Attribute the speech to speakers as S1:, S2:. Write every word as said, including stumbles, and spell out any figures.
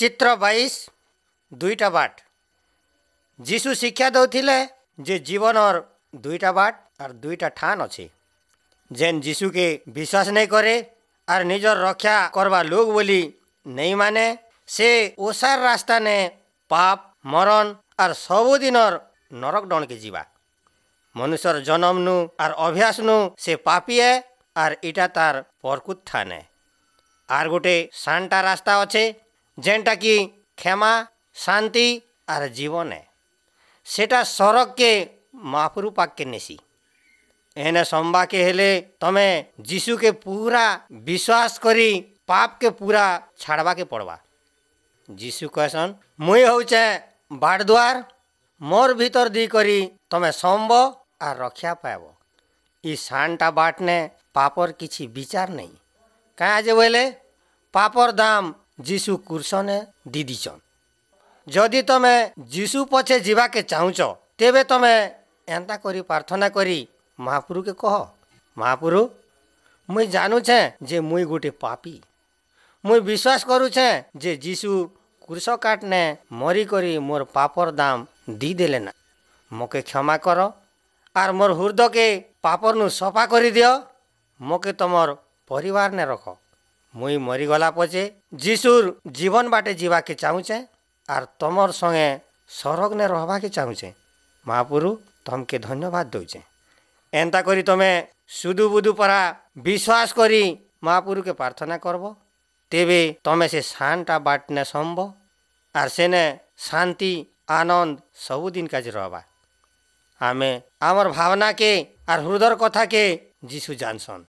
S1: ଚିତ୍ର ବାଇଶ ଦୁଇଟା ବାଟ ଯୀଶୁ ଶିକ୍ଷା ଦଉଥିଲେ ଯେ ଜୀବନର ଦୁଇଟା ବାଟ ଆର୍ ଦୁଇଟା ଠାନ୍ ଅଛି ଯେନ୍ ଯୀଶୁକେ ବିଶ୍ୱାସ ନେଇ କରେ ଆର୍ ନିଜର ରକ୍ଷା କରବା ଲୋକ ବୋଲି ନେଇ ମାନେ ସେ ଓସାର ରାସ୍ତାନେ ପାପ ମରণ ଆର୍ ସବୁଦିନର ନରକ ଡଣକେ ଯିବା ମନୁଷ୍ୟର ଜନମନୁ ଆର୍ ଅଭ୍ୟାସନୁ ସେ ପାପିଏ ଆର୍ ଇଟା ତାର ପରକୁତ ଠାନେ ଆର୍ ଗୋଟେ ସାନଟା ରାସ୍ତା ଅଛେ ଯେନ୍ଟା କି କ୍ଷମା ଶାନ୍ତି ଆର୍ ଜୀବନ ଏ ସେଟା ସରଗକେ ମହାପୁରୁ ପାଖକେ ନେସି ଏନେ ସମ୍ବାକେ ହେଲେ ତମେ ଯୀଶୁକେ ପୁରା ବିଶ୍ୱାସ କରି ପାପକେ ପୁରା ଛାଡ଼ବାକେ ପଡ଼ବା ଯୀଶୁ କହେସନ୍ ମୁଇଁ ହଉଛେ ବାଟ ଦ୍ୱାର ମୋର୍ ଭିତର ଦି କରି ତମେ ସମ୍ବ ଆର୍ ରକ୍ଷା ପାଇବ ଇ ସାନଟା ବାଟନେ ପାପର କିଛି ବିଚାର ନେଇ କାଁ ଯେ ବୋଇଲେ ପାପର ଦାମ ଯୀଶୁ କୁର୍ସନେ ଦି ଦିଛନ୍ ଯଦି ତମେ ଯୀଶୁ ପଛେ ଯିବାକେ ଚାହୁଁଛ ତେବେ ତମେ ଏନ୍ତା କରି ପ୍ରାର୍ଥନା କରି ମହାପୁରୁକେ କହ ମହାପୁରୁ ମୁଇଁ ଜାନୁଛେଁ ଯେ ମୁଇଁ ଗୋଟେ ପାପୀ ମୁଇଁ ବିଶ୍ୱାସ କରୁଛେଁ ଯେ ଯୀଶୁ କ୍ରୁଶ କାଟନେ ମରିକରି ମୋର୍ ପାପର ଦାମ ଦି ଦେଲେ ନା ମକେ କ୍ଷମା କର ଆର୍ ମୋର୍ ହୃଦକେ ପାପରନୁ ସଫା କରିଦିଅ ମକେ ତମର ପରିବାରନେ ରଖ ମୁଇଁ ମରିଗଲା ପଛେ ଯୀଶୁର ଜୀବନ ବାଟେ ଯିବାକେ ଚାହୁଁଛେଁ ଆର୍ ତମର ସଙ୍ଗେ ସରଗନେ ରହବାକେ ଚାହୁଁଛେଁ ମହାପୁରୁ ତମକେ ଧନ୍ୟବାଦ ଦଉଛେଁ ଏନ୍ତା କରି ତମେ ସୁଦୁ ବୁଦୁ ପରା ବିଶ୍ୱାସ କରି ମହାପୁରୁକେ ପ୍ରାର୍ଥନା କରବ ତେବେ ତମେ ସେ ସାନଟା ବାଟନେ ସମ୍ବ ଆର୍ ସେନେ ଶାନ୍ତି ଆନନ୍ଦ ସବୁଦିନ କାଜେ ରହବା ଆମେ ଆମର୍ ଭାବନାକେ ଆର୍ ହୃଦୟର କଥାକେ ଯୀଶୁ ଜାନସନ୍।